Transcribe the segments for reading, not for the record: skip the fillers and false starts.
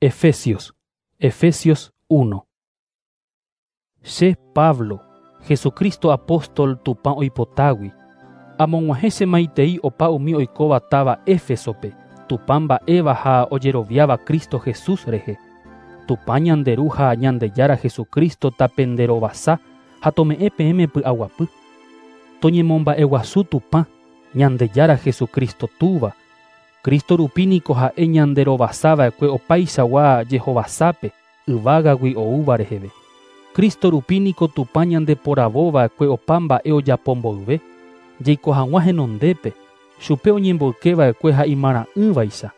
Efesios, Efesios 1. Che, Pablo, Jesucristo apóstol Tupã oipotágui, amog̃uahẽ che maitei opa umi oikóva táva Éfesope, Tupã mba'éva ha ojeroviáva Cristo Jesús rehe. Tupã ñande Ru ha Ñandejára Jesucristo tapenderovasa ha tome'ẽ peẽme py'aguapy. Toñemomba'eguasu Tupã, Ñandejára Jesucristo Túva, Cristo rupi niko ha'e ñanderovasa va'ekue opaichagua jehovasápe yvágagui oúva reheve. Cristo rupi niko Tupã ñandeporavo va'ekue opa mba'e ojapo mboyve, jaiko hag̃ua henondépe, chupe oñemboyke va'ekue ha imara'ỹvaicha,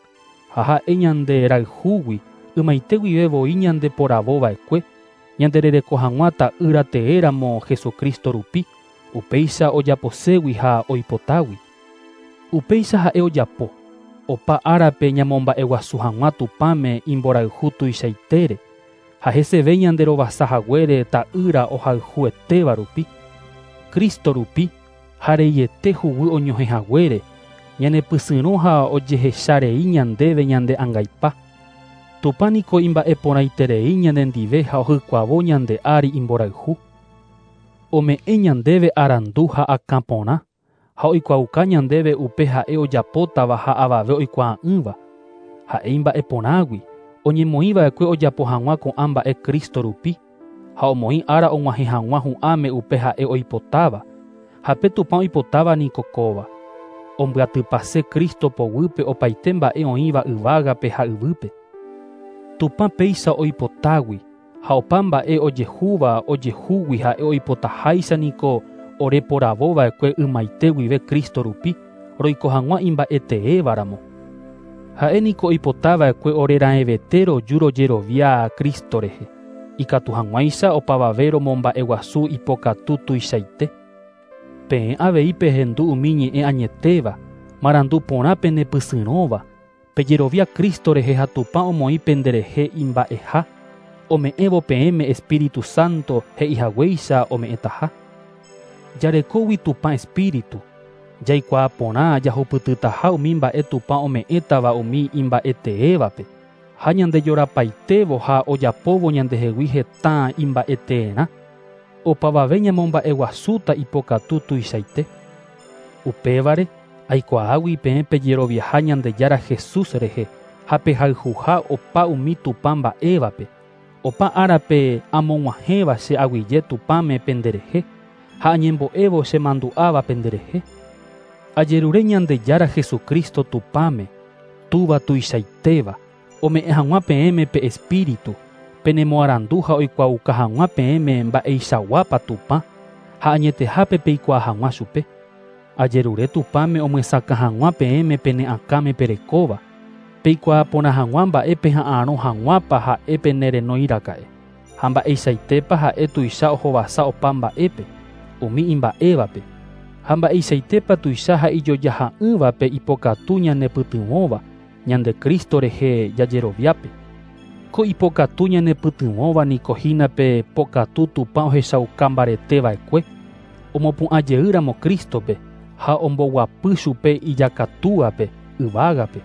ha ha'e ñande rayhúgui ymaite guive voi ñandeporavo va'ekue, ñanderereko hag̃ua ta'ýra teéramo Jesucristo rupi, upéicha ojaposégui ha oipotágui. Upéicha ha'e ojapo, opa árape ñamomba'eguasu hag̃ua Tupãme imborayhu tuichaitére, ha heseve ñanderovasa haguére ta'ýra ohayhuetéva rupi. Cristo rupi ha reiete huguy oñohẽ haguére, ñanepysyrõ ha ojehecharei ñandéve ñande angaipa. Tupã niko imba'eporãiterei ñanendive ha ohykuavo ñande ári imborayhu. Ome'ẽ ñandéve arandu ha akãporã, ha oikuaauka ñandéve upe ha'e ojapótava ha avave oikuaa'ỹva. Ha'e imba'eporãgui, oñemoĩva'ekue ojapo hag̃ua ko'ã mba'e Cristo rupi, ha omoĩ ára og̃uahẽ hag̃ua hu'ãme upe ha'e oipotáva, ha pe Tupã oipotáva niko kóva. Ombyatypase Cristo poguýpe opaite mba'e oĩva yvágape ha yvýpe. Tupã péicha oipotágui, ha opa mba'e ojehúva ojehúgui ha'e oipotaháicha niko oreporavova'ekue ymaite guive Cristo rupi, roiko hag̃ua imba'eteévaramo. Ha'e niko oipotava'ekue oreraẽvete roju rojerovia Cristo rehe, ikatu hag̃uáicha opavave romomba'eguasu ipokatu tuichaite. Peẽ avei pehendu umi ñe'ẽ añetéva, marandu porã penepysyrõva, pejerovia Cristo rehe ha Tupã omoĩ penderehe imba'eha, ome'ẽvo peẽme Espíritu Santo he'ihaguéicha ome'ẽtaha. Jarekógui Tupã Espíritu, jaikuaa porã jahupytytaha umi mba'e Tupã ome'ẽtava umi imba'eteévape, ha ñandejorapaitévo ha ojapóvo ñandehegui heta imba'eteerã, opavave ñamomba'eguasúta ipokatu tuichaite. Upévare, aikuaágui peẽ pejeroviaha Ñandejára Jesús rehe ha pehayhuha opa umi Tupã mba'évape, opa árape amog̃uahẽva che aguyje Tupãme penderehe, ha añembo'évo chemandu'áva penderehe. Ajerure Ñandejára Jesucristo Tupãme, Túva tuichaitéva, ome'ẽ hag̃ua peẽme pe Espíritu, penemoarandu ha oikuaauka hag̃ua peẽme mba'eichaguápa Tupã, ha añetehápe peikuaa hag̃ua chupe. Ajerure Tupãme omyesakã hag̃ua peẽme pene akãme perekóva, peikuaa porã hag̃ua mba'e peha'arõ hag̃uápa ha'e penerenóiraka'e, ha mba'eichaitépa ha'e tuicha ohovasa opa mba'épe, umi imba'évape, ha mba'eichaitépa tuicha ha ijojaha'ỹvape ipokatu ñanepytyvõva ñande Cristo rehe jajeroviápe. Ko ipokatu ñanepytyvõva niko hína pe pokatu Tupã ohechauka mbareteva'ekue, omopu'ãjeýramo Cristope ha omboguapy chupe ijakatúape yvágape.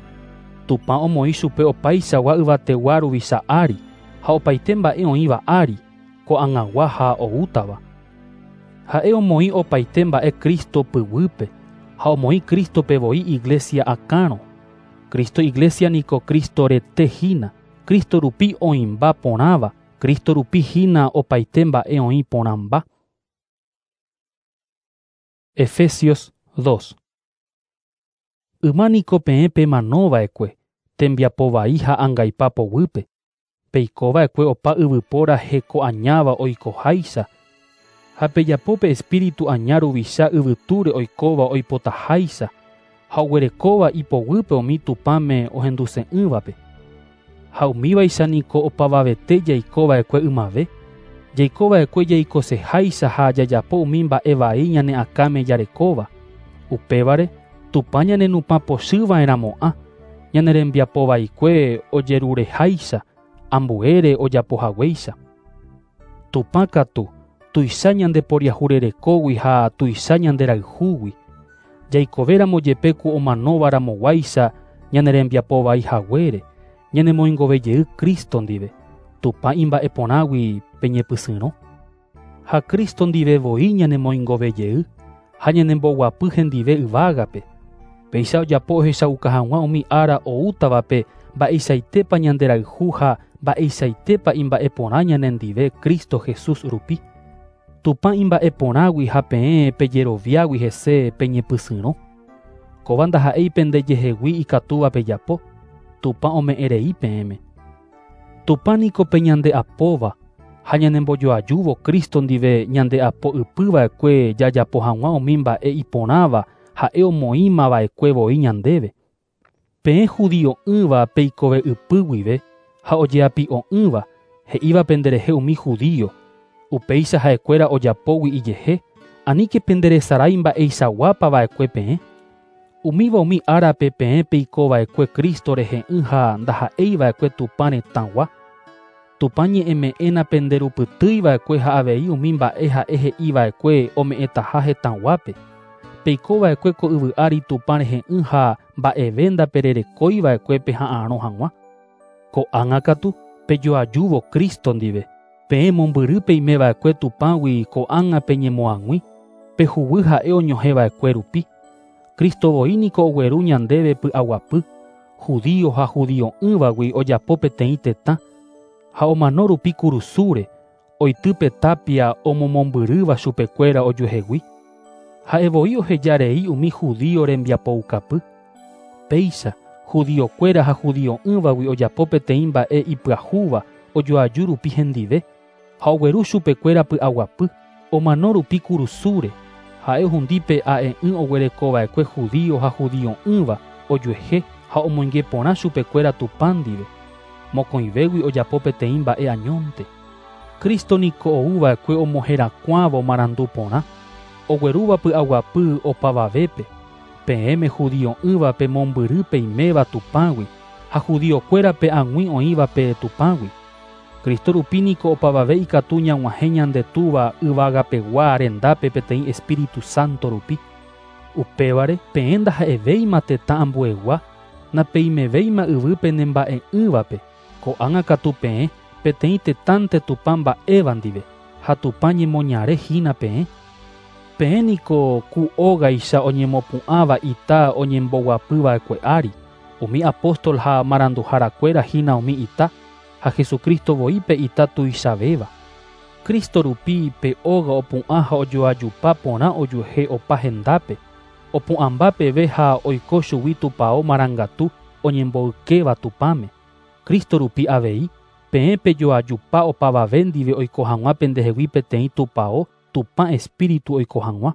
Tupã omoĩ chupe opaichagua yvategua ruvicha ári ha opaite mba'e oĩva ári, ko'ag̃agua ha oútava. Ha'e omoĩ opaite mba'e Cristo pyguýpe ha omoĩ Cristope voi iglesia akãrõ. Cristo iglesia niko Cristo rete hína, Cristo rupi oĩmba porãva, Cristo rupi hína opaite mba'e oĩ porãmba. Efesios 2. Yma niko peẽ pemanova'ekue, tembiapo vai ha angaipa poguýpe, peikova'ekue opa yvypóra heko añáva oikoháicha, ha pejapo pe espíritu aña ruvicha yvytúre oikóva oipotaháicha, ha oguerekóva ipoguýpe umi Tupãme ohenduse'ỹvape. Ha umívaicha niko opavavete jaikova'ekue ymave, jaikova'ekue jaikoseháicha ha jajapo umi mba'e vai ñane akãme jarekóva. Upévare, Tupã ñanenupã pochyva'erãmo'ã, ñane rembiapovaikue ojerureháicha, ambuére ojapohaguéicha. Tupã katu, tuicha ñandeporiahurerekógui ha tuicha ñanderayhúgui. Jaikovéramo jepe ku omanóvaramoguáicha ñane rembiapovai haguére, ñanemoingovejey Cristo ndive, Tupã imba'eporãgui peñepysyrõ. Ha Cristo ndive voi ñanemoingovejey ha ñanemboguapy hendive yvágape. Péicha ojapo ohechauka hag̃ua umi ára oútavape mba'eichaitépa ñanderayhu ha mba'eichaitépa imba'eporã ñanendive Cristo Jesús rupi. Tupã imba'eporãgui ha peẽ pejeroviágui hese peñepysyrõ. Kóva ndaha'éi pendejehegui ikatúva pejapo, Tupã ome'ẽrei peẽme. Tupã niko pe ñande'apóva ha ñanembojoajúvo Cristo ndive ñande'apo ypyva'ekue jajapo hag̃ua umi mba'e iporãva ha'e omoĩmava'ekue voi ñandéve. Peẽ judio'ỹva peikove ypy guive ha ojeapi'o'ỹva he'íva penderehe umi judío, upéicha ha'ekuéra ojapógui ijehe, aníke penderesarái mba'eichaguápava'ekue peẽ. Umíva umi árape peẽ peikova'ekue Cristo rehe'ỹ ha ndaha'eiva'ekue Tupã retãgua. Tupã ñe'ẽme'ẽna penderupytýiva'ekue ha avei umi mba'e ha'e he'iva'ekue ome'ẽtaha hetãguápe. Peikova'ekue ko yvy ári Tupã rehe'ỹ ha mba'eve ndapererekóiva'ekue peha'arõ hag̃ua. Ko'ág̃a katu pejoajúvo Cristo ndive, peẽ mombyry peimeva'ekue Tupãgui ko'ág̃a peñemoag̃ui, pehuguy ha'e oñohẽva'ekue rupi. Cristo voi niko ogueru ñandéve py'aguapy, judío ha judio'ỹvagui ojapo peteĩ tetã, ha omano rupi kurusúre, oity tapia omomombyrýva chupekuéra ojuehegui. Ha'e voi ohejarei umi judío rembiapoukapy. Péicha, judiokuéra ha judio'ỹvagui ojapo peteĩ mba'e ipyahúva ojoaju rupi hendive, ha ogueru chupekuéra py'aguapy, omano rupi kurusúre, ha'e ohundi pe a'e'ỹ oguerekova'ekue judío ha judio'ỹva ojuehe ha omoinge porã chupekuéra Tupã ndive. Mokõivégui ojapo peteĩ mba'e añónte. Cristo niko oúva'ekue omoherakuãvo marandu porã, oguerúva py'aguapy opavavépe, peẽme judio'ỹvape mombyry peiméva Tupãgui ha judiokuérape ag̃ui oĩvape Tupãgui. Cristo rupi niko opavave ikatu ñag̃uahẽ ñande Túva yvagapegua rendápe peteĩ Espíritu Santo rupi. Upévare peẽ ndaha'evéima tetã ambuegua, napeimevéima yvýpe nemba'e'ỹvape, ko'ág̃a katu peẽ peteĩ tetãnte Tupã mba'éva ndive ha Tupã ñemoñare hína peẽ. Peẽ niko ku ógaicha oñemopu'ãva ita oñemboguapyva'ekue ári, umi apóstol ha maranduharakuéra hína umi ita, ha Jesucristo voi pe ita tuichavéva. Cristo rupi pe óga opu'ã ha ojoajupa porã ojuehe opa hendápe, opu'ãmba peve ha oiko chugui tupão marangatu oñemboykéva Tupãme. Cristo rupi avei, peẽ pejoajupa opavave ndive oiko hag̃ua pendehegui peteĩ tupão Tupã Espíritu oiko hag̃ua.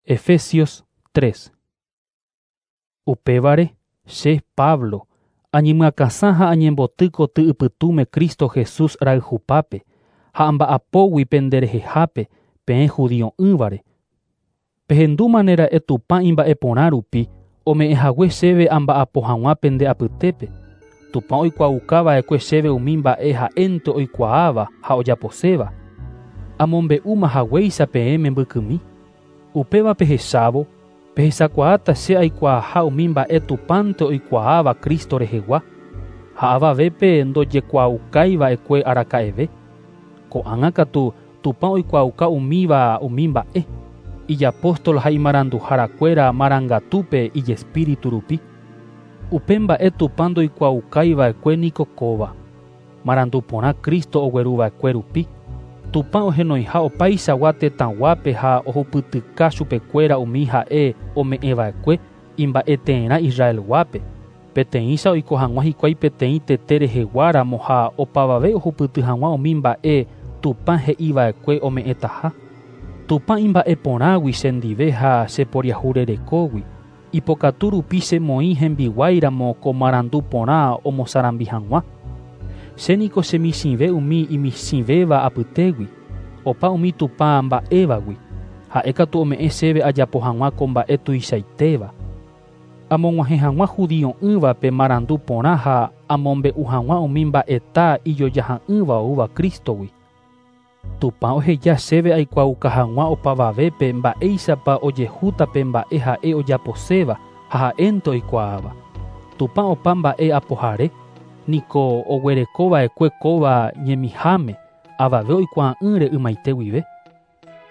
Efesios 3. Upévare, che Pablo, añemyakãsã ha añemboty koty ypytũme Cristo Jesús rayhupápe, ha amba'apógui penderehehápe peẽ judio'ỹvare. Pehendúmanera'e Tupã imba'eporã rupi ome'ẽhague chéve amba'apo hag̃ua pende apytépe. Tupã oikuaaukava'ekue chéve umi mba'e ha'énte oikuaáva ha ojaposéva. Amombe'úma haguéicha peẽme mbykymi. Upéva pehechávo, pehechakuaáta che aikuaaha umi mba'e Tupãnte oikuaáva Cristo rehegua, ha avavépe ndojekuaaukaiva'ekue araka'eve. Ko'ág̃a katu Tupã oikuaauka umíva umi mba'e, ijapóstol ha imaranduharakuéra marangatúpe ijespíritu rupi. Upe mba'e Tupã ndoikuaaukaiva'ekue niko kóva, marandu porã Cristo ogueruva'ekue rupi, Tupã ohenoiha opaichagua tetãguápe ha ohupytyka chupekuéra umi ha'e ome'ẽva'ekue imba'eteerã Israelguápe, peteĩcha oiko hag̃ua hikuái peteĩ tete reheguáramo ha opavave ohupyty hag̃ua umi mba'e Tupã he'iva'ekue ome'ẽtaha. Tupã imba'eporãgui chendive ha cheporiahurerekógui, ipokatu rupi chemoĩ hembiguáiramo ko marandu porã omosarambi hag̃ua. Che niko chemichĩve umi imichĩvéva apytégui, opa umi Tupã mba'évagui, ha'e katu ome'ẽ chéve ajapo hag̃ua ko mba'e tuichaitéva. Amog̃uahẽ hag̃ua judio'ỹvape marandu porã ha amombe'u hag̃ua umi mba'eta ijojaha'ỹva oúva Cristogui. Tupã oheja chéve aikuaauka hag̃ua opavavépe mba'éichapa ojehúta pe mba'e ha'e ojaposéva ha ha'énte oikuaáva. Tupã opa mba'e apohare, niko oguereko va'ekue kóva ñemiháme avave oikuaa'ỹre ymaite guive.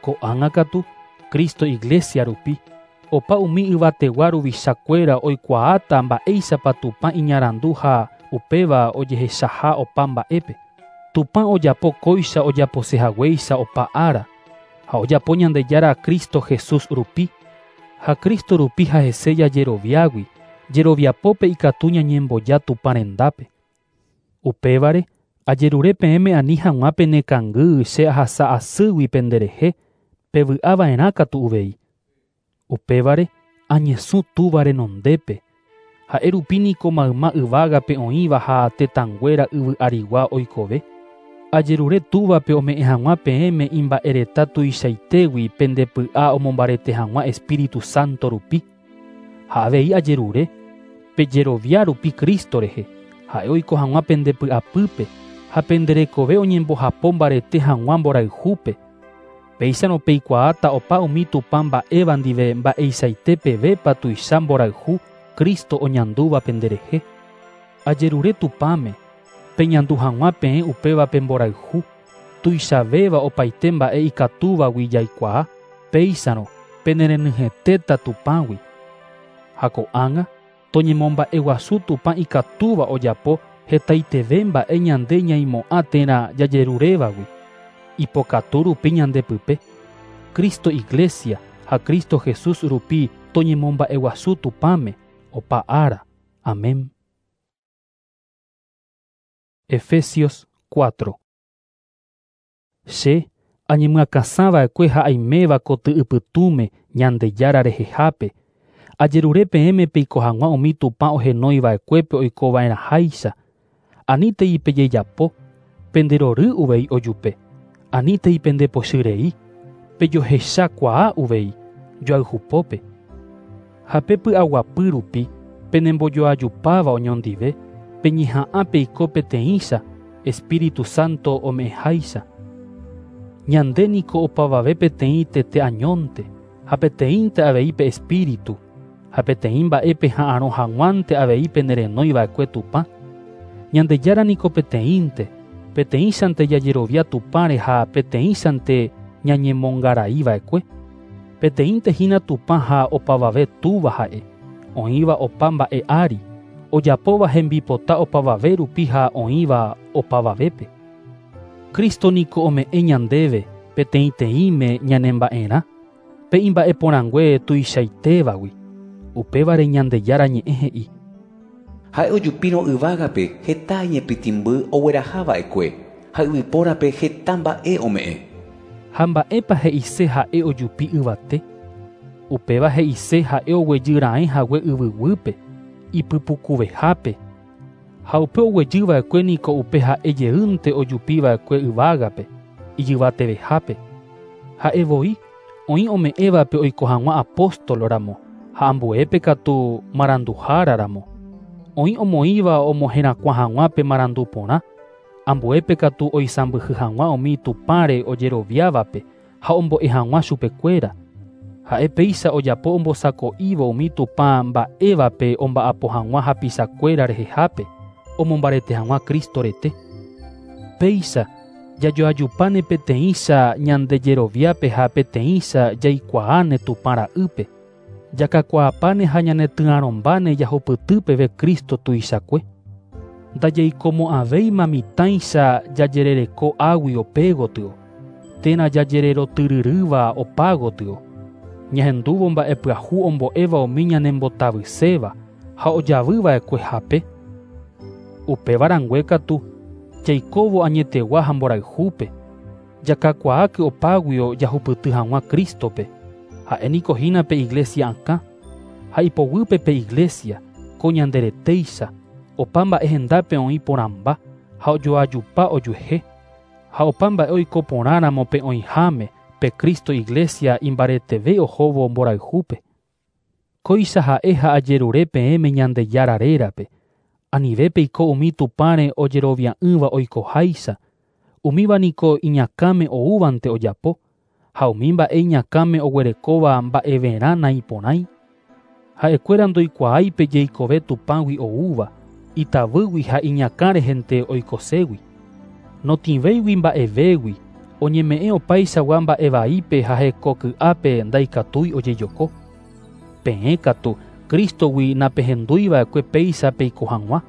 Ko'ág̃a katu, Cristo iglesia rupi, opa umi yvategua ruvichakuéra oikuaáta mba'éichapa Tupã iñarandu ha upéva ojehechaha opa mba'épe. Tupã ojapo kóicha ojaposehaguéicha opa ára, ha ojapo Ñandejára Cristo Jesús rupi, ha Cristo rupi ha hese jajeroviágui, jeroviapópe ikatu ñañemboja Tupã rendápe. Upévare, ajerure peẽme ani hag̃ua penekangy che ahasa asýgui penderehe, pevy'ava'erã katu uvei. Upévare, añesũ Túva renondépe, ha'e rupi niko mayma yvágape oĩva ha tetãnguéra yvy arigua oikove. Ajerure Túvape ome'ẽ hag̃ua peẽme imba'ereta tuichaitégui pendepy'a omombarete hag̃ua Espíritu Santo rupi. Ha avei ajerure, pejerovia rupi Cristo rehe, ha'e oiko hag̃ua pendepy'apýpe ha penderekove oñembohapo mbarete hag̃ua mborayhúpe. Péicharõ peikuaáta opa umi Tupã mba'éva ndive mba'eichaite pevépa tuicha mborayhu Cristo oñandúva penderehe. Ajerure Tupãme, peñandu hag̃ua peẽ upéva pe mborayhu, tuichavéva opaite mba'e ikatúvagui jaikuaa, péicharõ penerenyhẽtéta Tupãgui. Ha ko'ág̃a, toñemomba'eguasu Tupã ikatúva ojapo hetaiteve mba'e ñande ñaimo'ã térã jajerurévagui. Ipokatu rupi ñandepype. Cristo Iglesia ha Cristo Jesús rupi toñemomba'eguasu Tupãme opa ára. Amén. Efesios 4. Che añemyakãsãva'ekue ha aiméva koty'ypytũme Ñandejára rehehápe, ajerure peẽme peiko hag̃ua umi Tupã ohenoiva'ekuépe oikova'erãháicha. Anítei pejejapo, penderory uvei ojupe. Anítei pendepochyrei, pejohechakuaa uvei, joayhupópe. Ha pe py'aguapy rupi, penembojoajupáva oñondive, peñeha'ã peiko peteĩcha, Espíritu Santo ome'ẽháicha. Ñande niko opavave peteĩ tete añónte, ha peteĩnte avei pe Espíritu, ha peteĩ mba'e peha'arõ hag̃uánte avei penerenoiva'ekue Tupã. Ñandejára niko peteĩnte, peteĩchante jajerovia Tupãre ha peteĩchante ñañemongaraiva'ekue. Peteĩnte hína Tupã ha opavave Túva ha'e, oĩva opa mba'e ári, ojapóva hembipota opavave rupi ha oĩva opavavépe. Cristo niko ome'ẽ ñandéve peteĩteĩme ñanemba'erã, pe imba'eporãngue tuichaitévagui. Upévare Ñandejára ñe'ẽ he'i. Ha'e ojupírõ yvágape heta iñepytĩmby oguerahava'ekue ha yvypórape heta mba'e ome'ẽ. Ha mba'épa he'ise ha'e ojupi yvate? Upéva he'ise ha'e oguejy raẽ hague yvyguýpe, ipypukuvehápe. Ha upe oguejyva'ekue niko upe ha'e jeýnte ojupiva'ekue yvágape, ijyvatevehápe. Ha'e voi oĩ ome'ẽvape oiko hag̃ua apóstol ramo, ha ambuépe katu maranduhára ramo. Oĩ omoĩva omoherakuã hag̃ua pe marandu porã, ambuépe katu oisãmbyhy hag̃ua umi Tupãre ojeroviávape ha ombo'e hag̃ua chupekuéra. Ha'e péicha ojapo ombosako'ívo umi Tupã mba'évape omba'apo hag̃ua hapichakuéra rehehápe, omombarete hag̃ua Cristo rete. Péicha jajoajupáne peteĩcha ñandejeroviápe ha peteĩcha jaikuaáne Tupã ra'ýpe. Jakakuaapáne ha ñanetyarõmbáne jahupyty peve Cristo tuichakue. Ndajaikomo'ãvéima mitãicha jajerereko águi opégotyo, térã jajererotyryrýva opágotyo. Ñahendúvo mba'epyahu ombo'éva umi ñanembotavyséva ha ojavyva'ekue hape. Upéva rangue katu, jaikóvo añetegua ha mborayhúpe, jakakuaáke opáguio jahupyty hag̃ua Cristope. Ha'e niko hína pe iglesia akã, ha ipoguýpe pe iglesia, ko ñanderetéicha, opa mba'e hendápe oĩ porãmba ha ojoajupa ojuehe, ha opa mba'e oiko porãramo pe oĩháme pe Cristo iglesia imbareteve ohóvo mborayhúpe. Kóicha ha'e ha ajerure peẽme Ñandejára rérape, anive peiko umi Tupãre ojerovia'ỹva oikoháicha, umíva niko iñakãme oúvante ojapo, ha umi mba'e iñakãme oguerekóva mba'everã naiporãi. Ha'ekuéra ndoikuaái pe jeikove Tupãgui oúva, itavýgui ha iñakã rehente oikoségui. Notĩvéigui mba'evégui, oñeme'ẽ opaichagua mba'e vaípe ha hekoky'ápe ndaikatúi ojejoko. Peẽ katu Cristogui napehendúiva'ekue péicha peiko hag̃ua.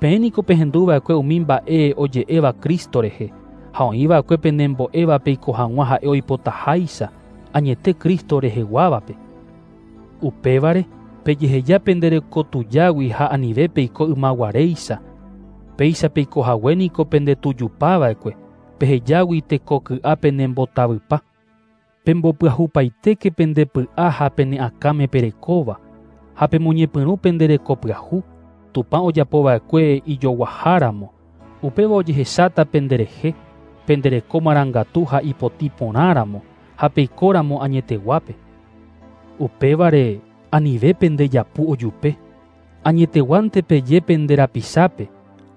Peẽ niko pehenduva'ekue umi mba'e oje'éva Cristo rehe, ha oĩva'ekue penembo'éva peiko hag̃ua ha'e oipotaháicha, añete Cristo reheguávape. Upévare, pejeheja penderekotujágui ha anive peiko ymaguaréicha. Péicha peikohague niko pendetujupava'ekue, pehejágui tekoky'a penembotavypa. Pembopyahupaitéke pendepy'a ha pene akãme perekóva, ha pemoñepyrũ penderekopyahu, Tupã ojapova'ekue ijoguaháramo, upéva ojehecháta penderehe, pendereko marangatu ha ipotĩ porãramo, ha peikóramo añeteguápe. Upévare anive pendejapu ojupe, añeteguánte peje penderapichápe,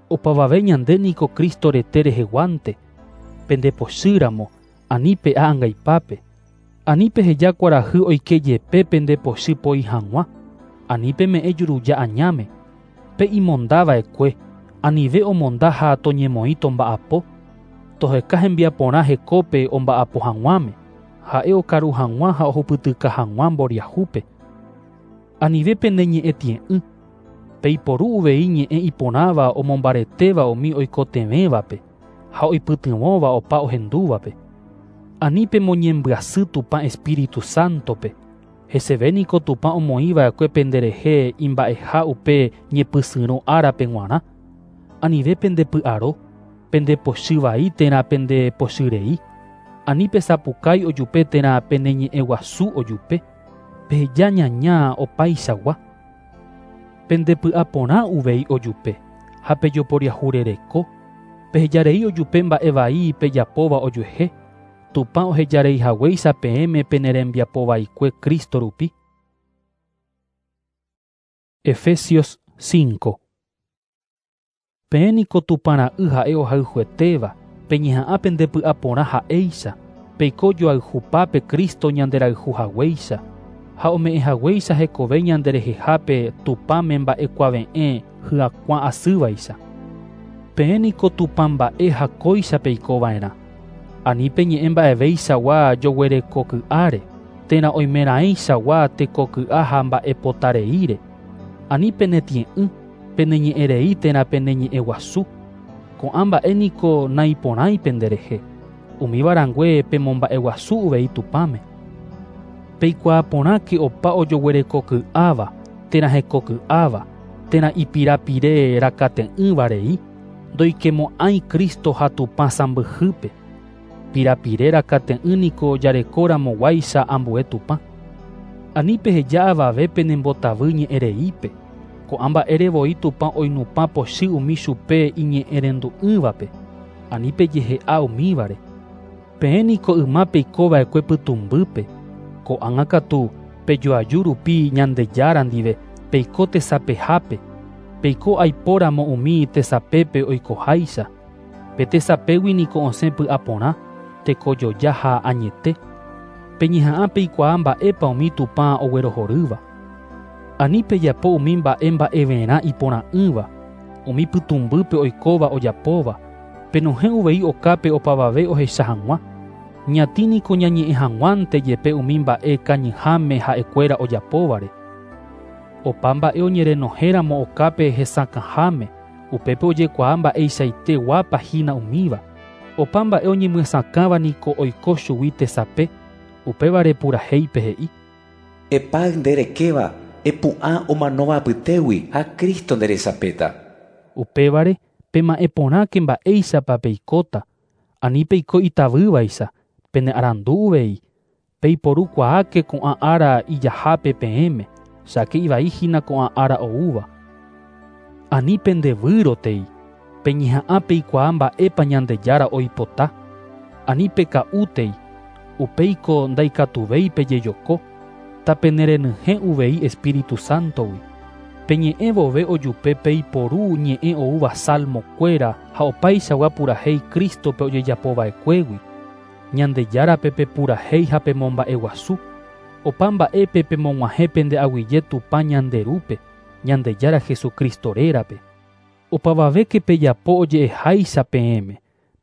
opavave ñande niko Cristo rete reheguánte, pendepochýramo, ani pe'a angaipápe, ani peheja kuarahy oike jepe pendepochy poi hag̃ua, ani peme'ẽ juruja añáme, pe imondava'ekue, anive omonda ha toñemoĩ tomba'apo, toheka hembiaporã hekópe omba'apo hag̃uáme, ha'e okaru hag̃ua ha ohupytyka hag̃ua mboriahúpe. Anive pene ñe'ẽ tie'ỹ, peiporu uvei ñe'ẽ iporãva omombaretéva umi oikotevẽvape ha oipytyvõva opa ohendúvape. Ani pemoñembyasy Tupã Espíritu Santope, heseve niko Tupã omoĩva'ekue penderehe imba'eha upe ñepysyrõ árape g̃uarã. Anive pendepy'aro, pendepochy vai térã pendepochyrei. Ani pesapukái ojupe térã peneñe'ẽguasu ojupe, peheja ñaña opaichagua. Pendepy'aporã uvei ojupe ha pejoporiahurereko, pehejarei ojupe mba'e vai pejapóva ojuehe, Tupã ohejareihaguéicha peẽme penerembiapovaikue Cristo rupi. Efesios 5. Peẽ niko Tupã ra'y ha'e ohayhuetéva, peñeha'ã pendepy'aporã ha'éicha, peiko joayhupápe Cristo ñanderayhuhaguéicha, ha ome'ẽhaguéicha hekove ñanderehehápe Tupãme mba'ekuave'ẽ hyakuã asývaicha. Peẽ niko Tupã mba'e ha kóicha peikova'erã. Ani peñe'ẽ mba'evéichagua joguerekoky'áre, térã oimeraẽichagua tekoky'a ha mba'epotareíre. Ani penetie'ỹ, peneñe'ẽrei térã peneñe'ẽguasu. Ko'ã mba'e niko naiporãi penderehe, umíva rangue pemomba'eguasu uvei Tupãme. Peikuaa porãke opa ojoguerekoky'áva, térã hekoky'áva, térã ipirapire rakate'ỹva rei, ndoikemo'ãi Cristo ha Tupã sãmbyhýpe. Pirapire rakate'ỹ niko jarekóramoguáicha ambue Tupã. Ani peheja avave penembotavy ñe'ẽreípe, ko'ã mba'ére voi Tupã oinupã pochy umi chupe iñe'ẽrendu'ỹvape, ani pejehe'a umívare. Peẽ niko yma peikova'ekue pytũmbýpe, ko'ág̃a katu pejoaju rupi Ñandejára ndive peiko tesapehápe, peiko aipóramo umi tesapépe oikoháicha. Pe tesapégui niko osẽ py'aporã, tekojoja ha añete. Peñeha'ã peikuaa mba'épa umi Tupã oguerohorýva. Ani pejapo umi mba'e mba'everã iporã'ỹva, umi pytũmbýpe oikóva ojapóva, penohẽ uvei okápe opavave ohecha hag̃ua. Ñatĩ niko ñañe'ẽ hag̃uánte jepe umi mba'e kañyháme ha'ekuéra ojapóvare. Opa mba'e oñerenohéramo okápe hesakãháme, upépe ojekuaa mba'eichaite guápa hína umíva. Opa mba'e oñemyesakãva niko oiko chugui tesape, upévare purahéipe he'i. Epáy nde rekéva, epu'ã omanóva apytégui ha Cristo nderesapéta. Upévare pema'ẽ porãke mba'éichapa peikóta, ani peiko itavývaicha, pene arandu uvei, peiporukuaáke ko'ã ára ijahápe peẽme, cháke ivai hína ko'ã ára oúva. Ani pendevýrotei, peñeha'ã peikuaa mba'épa Ñandejára oipota, ani peka'útei, upéiko ndaikatuvéi pejejoko, tapenerenyhẽ uvei Espíritu Santogui. Peñe'ẽ vove ojupe peiporu ñe'ẽ oúva salmokuéra ha opaichagua purahéi Cristope ojejapova'ekuégui. Ñandejárape pepurahéi ha pemomba'eguasu. Opa mba'épe pemog̃uahẽ pende aguyje Tupã ñande Rúpe, Ñandejára Jesucristo rérape. Opavavéke pejapo oje'eháicha peẽme,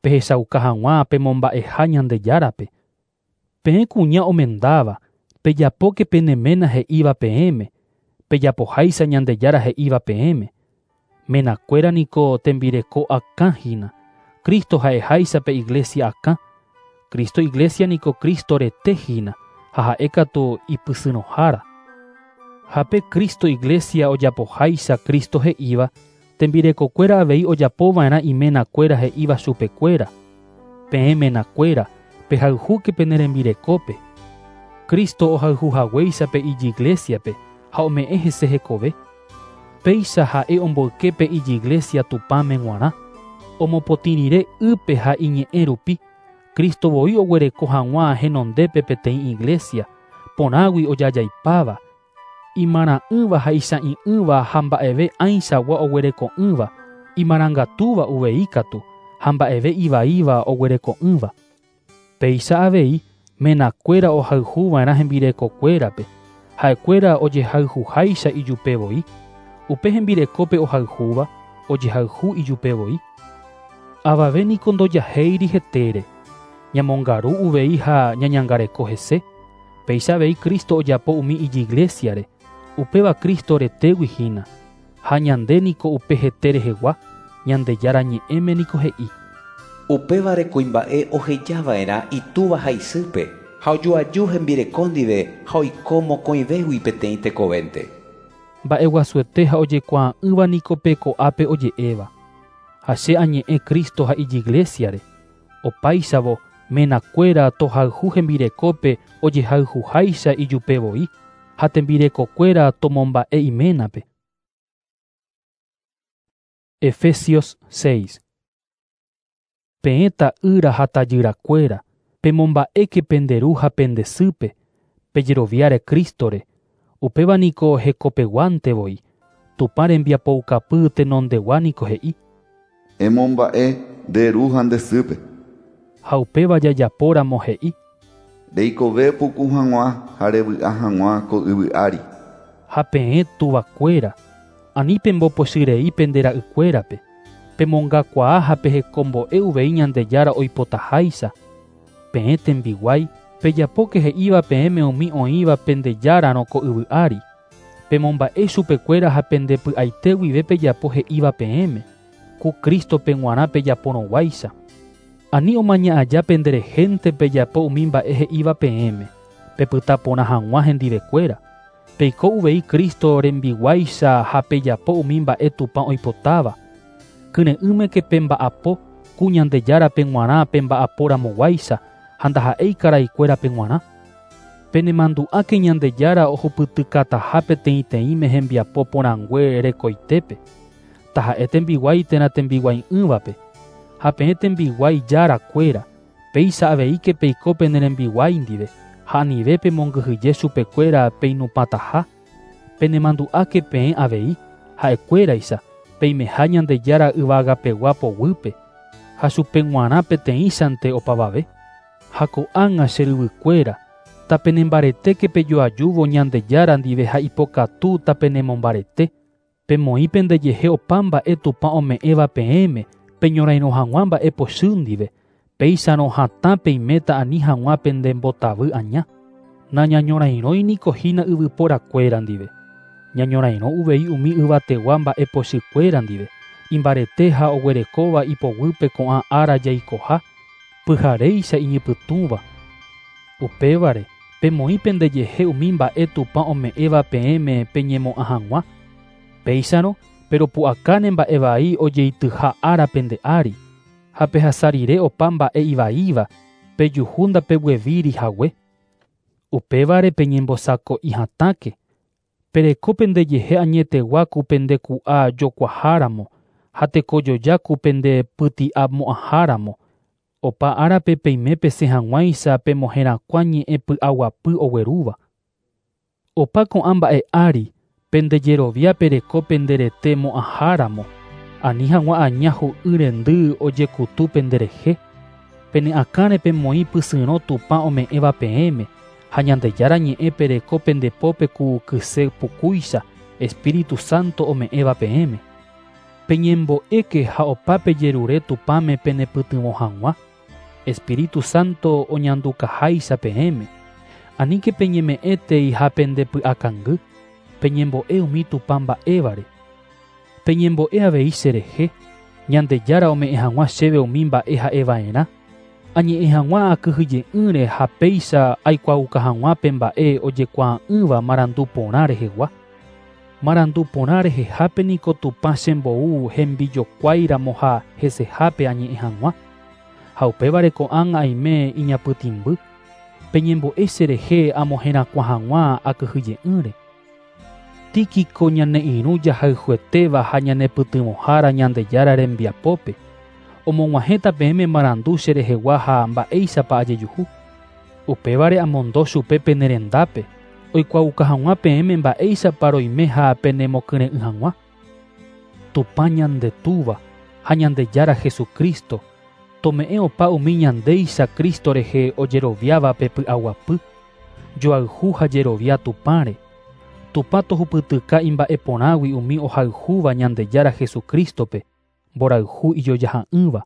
pehechauka hag̃ua pemomba'eha Ñandejárape. Peẽ kuña omendáva, pejapóke pene ména he'íva peẽme, pejapoháicha Ñandejára he'íva peẽme. Menakuéra niko tembireko akã hína, Cristo ha'eháicha pe iglesia akã. Cristo iglesia niko Cristo rete hína, ha ha'e katu ipysyrõhára. Ha pe Cristo iglesia ojapoháicha Cristo he'íva, tembirekokuéra avei ojapova'erã imenakuéra he'íva chupekuéra. Peẽ menakuéra, pehayhúke pene rembirekópe. Cristo ohayhuhaguéicha pe ijiglesiape ha ome'ẽ hese hekove. Péicha ha'e omboyke pe ijiglesia Tupãme g̃uarã. Omopotĩ rire ýpe ha iñe'ẽ rupi, Cristo voi oguereko hag̃ua henondépe peteĩ iglesia, porãgui ojajaipáva, imarã'ỹva ha icha'ĩ'ỹva ha mba'eve ãichagua oguereko'ỹva, imarangatúva uvei katu, ha mba'eve ivaíva oguereko'ỹva. Péicha avei, menakuéra ohayhuva'erã hembirekokuérape, ha'ekuéra ojehayhuháicha ijupe voi. Upe hembirekópe ohayhúva, ojehayhu ijupe voi. Avave niko ndojahéiri hetére, ñamongaru uvei ha ñañangareko hese. Péicha avei Cristo ojapo umi ijiglesiare, upéva Cristo retégui hína. Ha ñande niko upe hete rehegua, Ñandejára ñe'ẽme niko he'i. Upévare kuimba'e ohejava'erã itúva ha isýpe, ha ojoaju hembireko ndive ha oiko mokõivégui peteĩ tekovénte. Mba'eguasuete ha ojekuaa'ỹva niko pe ko'ápe oje'éva. Ha che añe'ẽ Cristo ha ijiglesiare. Opáichavo, menakuéra tohayhu hembirekópe ojehayhuháicha ijupe voi, ha tembirekokuéra tomomba'e iménape. Efesios 6. Peẽ ta'ýra ha tajyrakuéra, pemomba'éke pende ru ha pende sýpe, pejeroviáre Crístore, upéva niko hekopeguánte voi, Tupã rembiapoukapy tenondegua niko he'i. Emomba'e nde ru ha nde sýpe. Ha upéva jajapóramo he'i. Reikove puku hag̃ua ha revy'a hag̃ua ko yvy ári. Ha peẽ tuvakuéra, ani pembopochyrei pende ra'ykuérape, pemongakuaa ha pehekombo'e uvei Ñandejára oipotaháicha. Peẽ tembiguái, pejapóke he'íva peẽme umi oĩva pende járarõ ko yvy ári. Pemomba'e chupekuéra ha pende py'aite guive pejapo he'íva peẽme, ku Crístope g̃uarã pejaporõguáicha. Ani omaña aja penderehénte pejapo umi mba'e he'íva peẽme, pepyta porã hag̃ua hendivekuéra. Peiko uvei Cristo rembiguáicha ha pejapo umi mba'e Tupã oipotáva. Kyre'ỹmeke pemba'apo, ku Ñandejárape g̃uarã pemba'aporamoguáicha ha ndaha'éi karaikuérape g̃uarã. Penemandu'áke Ñandejára ohupytykataha peteĩteĩme hembiapo porãngue rekoitépe, taha'e tembiguái térã tembiguai'ỹvape. Ha peẽ tembiguái járakuéra, péicha aveíke peiko pene rembiguái ndive, ha anive pemongyhyje chupekuéra peinupãtaha. Penemandu'áke peẽ avei, ha'ekuéraicha, peimeha Ñandejára yvagapegua poguýpe, ha chupe g̃uarã peteĩchante opavave. Ha ko'ág̃a che ryvykuéra, tapenembaretéke pejoajúvo Ñandejára ndive ha ipokatu tapenemombarete. Pemoĩ pendejehe opa mba'e Tupã ome'ẽva peẽme, peñorairõ hag̃ua mba'e pochy ndive, péicharõ hatã peiméta ani hag̃ua pendembotavy aña. Nañañorairõi niko hína yvyporakuéra ndive. Ñañorairõ uvei umi yvategua mba'e pochykuéra ndive, imbarete ha oguerekóva ipoguýpe ko'ã ára jaikoha, pyharéicha iñypytũva. Upévare, pemoĩ pendejehe umi mba'e Tupã ome'ẽva peẽme peñemo'ã hag̃ua. Péicharõ, peropu'akáne mba'e vai ojeityha ára pende ári, ha pehasa rire opa mba'e ivaíva, pejuhu ndapeguevíri hague. Upévare peñembosako'i hatãke, pereko pendejehe añetegua ku pendeku'a jokuaháramo, ha tekojoja ku pendepyti'amo'ãháramo. Opa árape peime pesẽ hag̃uáicha pemoherakuã ñe'ẽ py'aguapy oguerúva. Opa ko'ã mba'e ári, pendejerovia pereko penderete mo'ãháramo, ani hag̃ua aña hu'y rendy ojekutu penderehe. Pene akãre pemoĩ pysyrõ Tupã ome'ẽva peẽme, Ha Ñandejára ñe'ẽ pereko pende pópe ku kyse pukúicha Espíritu Santo ome'ẽva peẽme. Peñembo'éke ha opa pejerure Tupãme penepytyvõ hag̃ua. Espíritu Santo oñandukaháicha peẽme. Aníke peñeme'ẽtei ha pendepy'akangy, peñembo'e umi Tupã mba'évare. Peñembo'e avei cherehe, Ñandejára ome'ẽ hag̃ua chéve umi mba'e ha'eva'erã. Añe'ẽ hag̃ua akyhyje'ỹre ha péicha aikuaauka hag̃ua pe mba'e ojekuaa'ỹva marandu porã rehegua. Marandu porã rehehápe niko Tupã chembou hembijokuáiramo ha hesehápe añe'ẽ hag̃ua. Ha upévare ko'ág̃a aime iñapytĩmby. Peñembo'e cherehe amoherakuã hag̃ua akyhyje'ỹre. Tíquico ñane irũ jahayhuetéva ha ñanepytyvõhára Ñandejára rembiapópe. Omog̃uahẽta peẽme marandu cherehegua ha mba'éichapa ajejuhu. Upévare amondo chupe pene rendápe, oikuaauka hag̃ua peẽme mba'éichapa roime ha penemokyre'ỹ hag̃ua. Tupã ñande Túva ha Ñandejára Jesucristo tome'ẽ opa umi ñandéicha Cristo rehe ojeroviáva pe py'aguapy, joayhu ha jerovia Tupãre. Tupã tohupytyka imba'eporãgui umi ohayhúva Ñandejára Jesucristope, mborayhu ijojaha'ỹva.